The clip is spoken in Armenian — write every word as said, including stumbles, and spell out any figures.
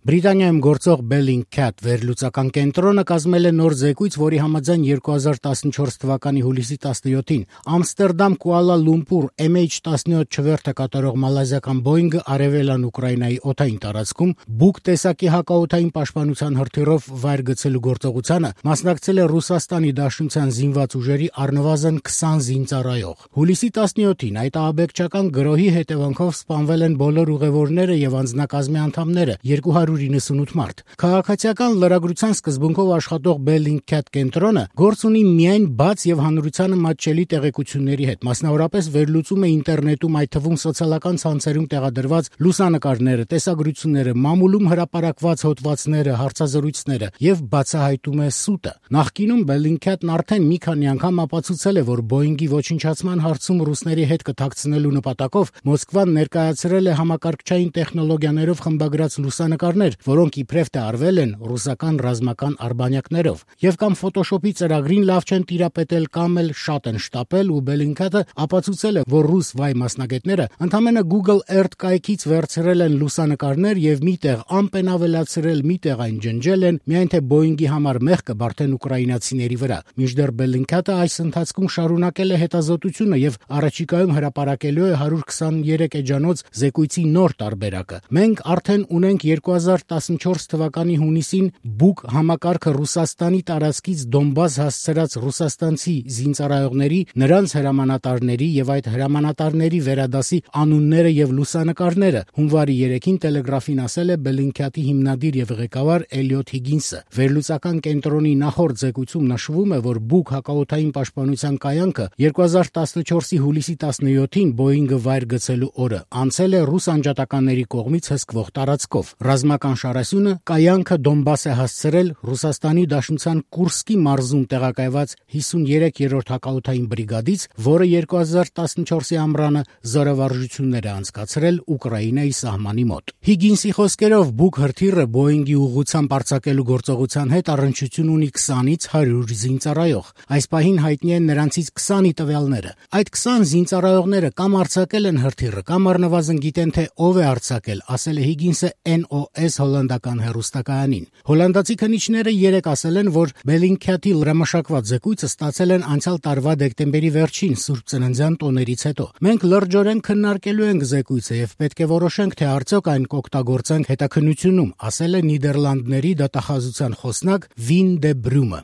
Բրիտանիայում գործող Bellingcat վերլուծական կենտրոնը կազմել է նոր զեկույց, որի համաձայն երկու հազար տասնչորս թվականի հուլիսի տասնյոթին Ամստերդամ Կուալա Լումպուր էմ էյչ տասնյոթ չվերթը կատարող մալազիական Boeing-ը արևելան Ուկրաինայի օդային տարածքում Buk տեսակի հակաօդային պաշտպանության հրթիռով վայր գցելու գործողությանը մասնակցել է Ռուսաստանի Դաշնության զինված ուժերի առնվազն քսան զինծառայող։ Հուլիսի տասնյոթին այդ ահաբեկչական գրոհի հետևանքով սպանվել են բոլոր ուղևորները եւ անձնակազմի անդամները՝ երկու հարյուր իննսունութ մարդ։ Քաղաքացիական լրագրության սկզբունքով աշխատող Bellingcat կենտրոնը գործ ունի միայն բաց եւ հանրությանը մատչելի տեղեկությունների հետ, մասնավորապես վերլուծում է ինտերնետում, այդ թվում սոցիալական ցանցերում տեղադրված լուսանկարները, տեսագրությունները, մամուլում հրապարակված հոդվածները, հարցազրույցները եւ բացահայտում է սուտը։ Նախկինում Bellingcat-ն արդեն մի քանի անգամ ապացուցել է, որ Boeing-ի ոչնչացման հարցում ռուսների հետ կթաքցնելու նպատակով Մոսկվան ներկայացրել է համակարգչային տեխնոլոգիաներով խմբագրած լուսանկարներ, որոնք իբրև թե արվել են ռուսական ռազմական արբանյակներով, եւ կամ Photoshop-ի ծրագրին լավ չեն տիրապետել, կամ էլ շատ են շտապել, ու Bellingcat-ը ապացուցել է, որ ռուս վայ մասնագետները ընդամենը Google Earth կայքից վերցրել են լուսանկարներ եւ միտեղ ամպ են ավելացրել, միտեղ այն ջնջել են, միայն թե Boeing-ի համար մեղքը բարդեն ուկրաինացիների վրա։ Մինչդեռ Bellingcat-ը այս ընթացքում շարունակել է հետազոտությունը եւ առաջիկայում հրապարակելու է հարյուր քսաներեք էջանոց զեկույցի նոր տարբերակը։ Մենք արդեն ունենք երկու հազար տասնչորս թվականի հունիսին Buk համակարգը Ռուսաստանի տարածքից Դոնբաս հասցրած ռուսաստանցի զինծառայողների, նրանց հրամանատարների եւ այդ հրամանատարների վերադասի անունները եւ լուսանկարները, հունվարի երեքին Տելեգրաֆին ասել է Bellingcat-ի հիմնադիր եւ ղեկավար Էլիոթ Հիգինսը։ Վերլուծական կենտրոնի նախորդ զեկույցում նշվում է, որ Buk հակաօդային պաշտպանության կայանքը երկու հազար տասնչորսի հուլիսի տասնյոթին Boeing-ը վայր գցելու օրը անցել է ռուս անջատականների կողմից հսկվող տարածքով։ Ռազմական շարասյունը կայանքը Դոնբաս է հասցրել Ռուսաստանի Դաշնության Կուրսկի մարզում տեղակայված հիսուներեքերորդ հակաօդային բրիգադից, որը երկու հազար տասնչորսի ամռանը զորավարժություններ է անցկացրել Ուկրաինայի սահմանի մոտ։ Հիգինսի խոսքերով Buk հրթիռը Boeing-ի ուղղությամբ արձակելու գործողության հետ առնչություն ունի քսանից հարյուր զինծառայող։ Այս պահին հայտնի են նրանցից քսանի տվյալները։ Այդ քսան զինծառայողները կամ արձակել են հրթիռը, կամ առնվազն գիտեն, թե ով է արձակել, ասել է Հիգինսը N O S հոլանդական հեռուստակայանին։ Հոլանդացի քննիչները երեկ ասել են, որ Bellingcat-ի լրամշակված զեկույցը ստացել են անցյալ տարվա դեկտեմբերի վերջին Սուրբ Ծննդյան տոներից հետո։ Մենք լրջորեն քննարկելու ենք զեկույցը եւ պետք է որոշենք, թե արդյոք այն կօգտագործենք հետաքննությունում, ասել է Նիդերլանդների դատախազության խոսնակ Վին դե Բրյումը։